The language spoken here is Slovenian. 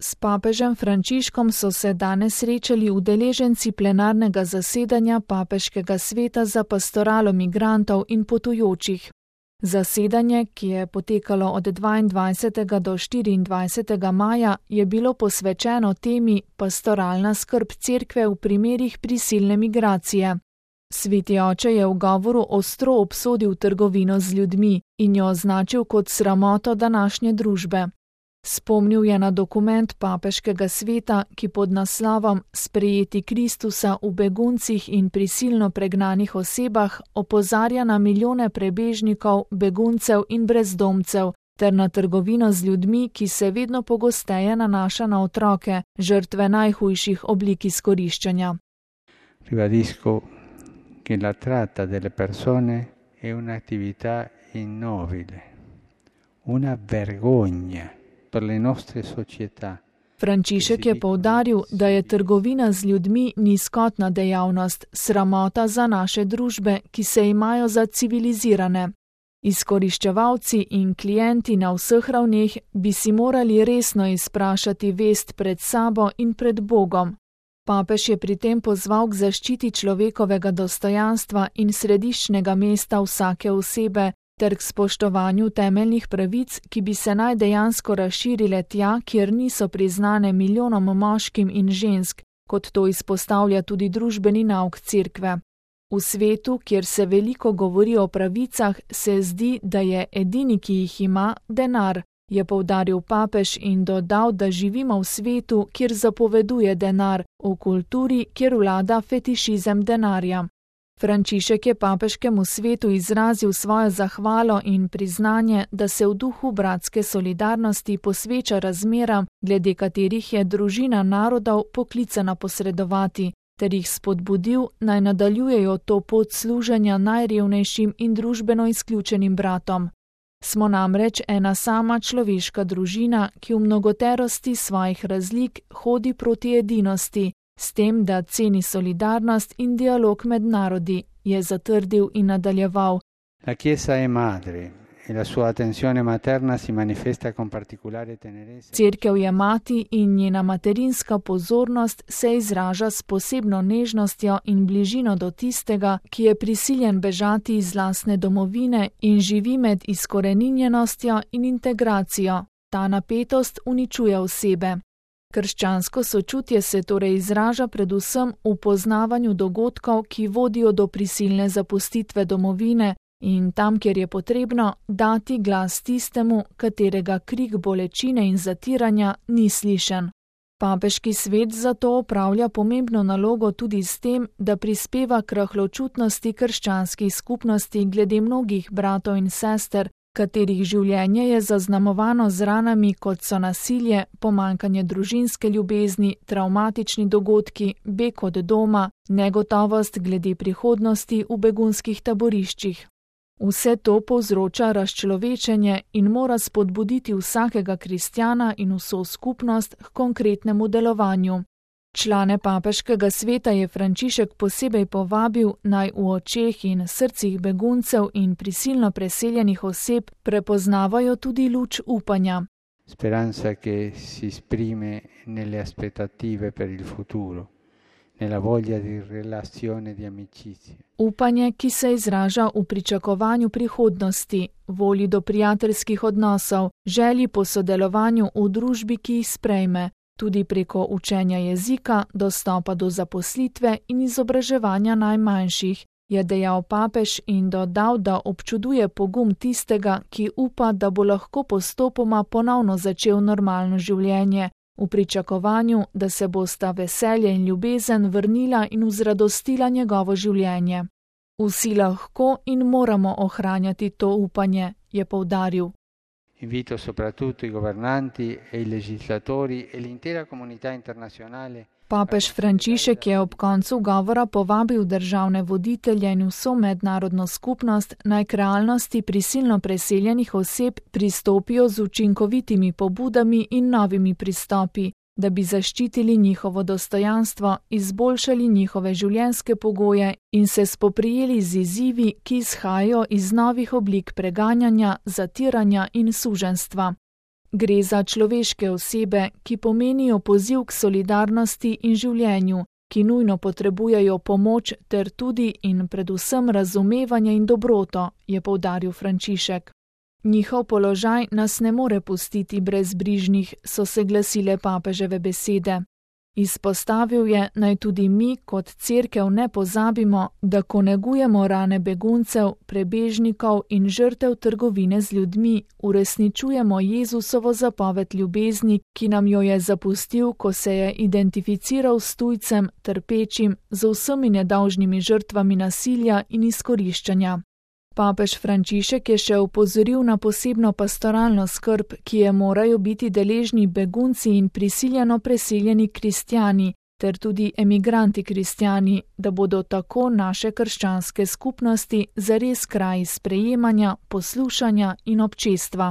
S papežem Frančiškom so se danes srečali udeleženci plenarnega zasedanja Papeškega sveta za pastoralo migrantov in potujočih. Zasedanje, ki je potekalo od 22. do 24. maja, je bilo posvečeno temi pastoralna skrb cerkve v primerih prisilne migracije. Sveti oče je v govoru ostro obsodil trgovino z ljudmi in jo označil kot sramoto današnje družbe. Spomnil je na dokument Papeškega sveta, ki pod naslovom Sprejeti Kristusa v beguncih in prisilno pregnanih osebah opozarja na milijone prebežnikov, beguncev in brezdomcev, ter na trgovino z ljudmi, ki se vedno pogosteje nanaša na otroke, žrtve najhujših oblik izkoriščanja. Ribadisco che la tratta delle persone è un'attività ignobile, una vergogna per le nostre società. Frančišek je poudaril, da je trgovina z ljudmi nizkotna dejavnost, sramota za naše družbe, ki se imajo za civilizirane. Izkoriščevalci in klienti na vseh ravneh bi si morali resno izprašati vest pred sabo in pred Bogom. Papež je pri tem pozval k zaščiti človekovega dostojanstva in središčnega mesta vsake osebe, ter k spoštovanju temeljnih pravic, ki bi se naj dejansko razširile tja, kjer niso priznane milijonom moškim in žensk, kot to izpostavlja tudi družbeni nauk cerkve. V svetu, kjer se veliko govori o pravicah, se zdi, da je edini, ki jih ima, denar, je poudaril papež in dodal, da živimo v svetu, kjer zapoveduje denar, v kulturi, kjer vlada fetišizem denarja. Frančišek je papeškemu svetu izrazil svojo zahvalo in priznanje, da se v duhu bratske solidarnosti posveča razmeram, glede katerih je družina narodov poklicana posredovati, ter jih spodbudil, naj nadaljujejo to pot služenja najrevnejšim in družbeno izključenim bratom. Smo namreč ena sama človeška družina, ki v mnogoterosti svojih razlik hodi proti edinosti, s tem, da ceni solidarnost in dialog med narodi, je zatrdil in nadaljeval. La Chiesa è madre e la sua attenzione materna si manifesta con particolare tenerezza. Cerkev je mati in njena materinska pozornost se izraža s posebno nežnostjo in bližino do tistega, ki je prisiljen bežati iz lastne domovine in živi med izkoreninjenostjo in integracijo. Ta napetost uničuje osebe. Krščansko sočutje se torej izraža predvsem v poznavanju dogodkov, ki vodijo do prisilne zapustitve domovine in tam, kjer je potrebno, dati glas tistemu, katerega krik bolečine in zatiranja ni slišen. Papeški svet zato opravlja pomembno nalogo tudi s tem, da prispeva k rahločutnosti krščanskih skupnosti glede mnogih bratov in sester, katerih življenje je zaznamovano z ranami, kot so nasilje, pomanjkanje družinske ljubezni, travmatični dogodki, beg od doma, negotovost glede prihodnosti v begunskih taboriščih. Vse to povzroča razčlovečenje in mora spodbuditi vsakega kristjana in vso skupnost k konkretnemu delovanju. Člane papeškega sveta je Frančišek posebej povabil, naj v očeh in srcih beguncev in prisilno preseljenih oseb prepoznavajo tudi luč upanja. Speranza che si esprime nelle aspettative per il futuro, nella voglia di relazione di amicizia. Upanje, ki se izraža v pričakovanju prihodnosti, volji do prijateljskih odnosov, želji po sodelovanju v družbi, ki jih sprejme, tudi preko učenja jezika, dostopa do zaposlitve in izobraževanja najmanjših, je dejal papež in dodal, da občuduje pogum tistega, ki upa, da bo lahko postopoma ponovno začel normalno življenje, v pričakovanju, da se bosta veselje in ljubezen vrnila in vzradostila njegovo življenje. Vsi lahko in moramo ohranjati to upanje, je poudaril. Invito soprattutto i governanti e i legislatori e l'intera comunità internazionale. Papež Frančišek je ob koncu govora povabil državne voditelje in vso mednarodno skupnost, naj k realnosti prisilno preseljenih oseb pristopijo z učinkovitimi pobudami in novimi pristopi, da bi zaščitili njihovo dostojanstvo, izboljšali njihove življenjske pogoje in se spoprijeli z izzivi, ki izhajajo iz novih oblik preganjanja, zatiranja in suženjstva. Gre za človeške osebe, ki pomenijo poziv k solidarnosti in življenju, ki nujno potrebujejo pomoč ter tudi in predvsem razumevanje in dobroto, je poudaril Frančišek. Njihov položaj nas ne more pustiti brezbrižnih, so se glasile papeževe besede. Izpostavil je, naj tudi mi kot cerkev ne pozabimo, da ko negujemo rane beguncev, prebežnikov in žrtev trgovine z ljudmi, uresničujemo Jezusovo zapoved ljubezni, ki nam jo je zapustil, ko se je identificiral s tujcem, trpečim, z vsemi nedolžnimi žrtvami nasilja in izkoriščanja. Papež Frančišek je še opozoril na posebno pastoralno skrb, ki je morajo biti deležni begunci in prisiljeno preseljeni kristjani, ter tudi emigranti kristjani, da bodo tako naše krščanske skupnosti zares kraji sprejemanja, poslušanja in občestva.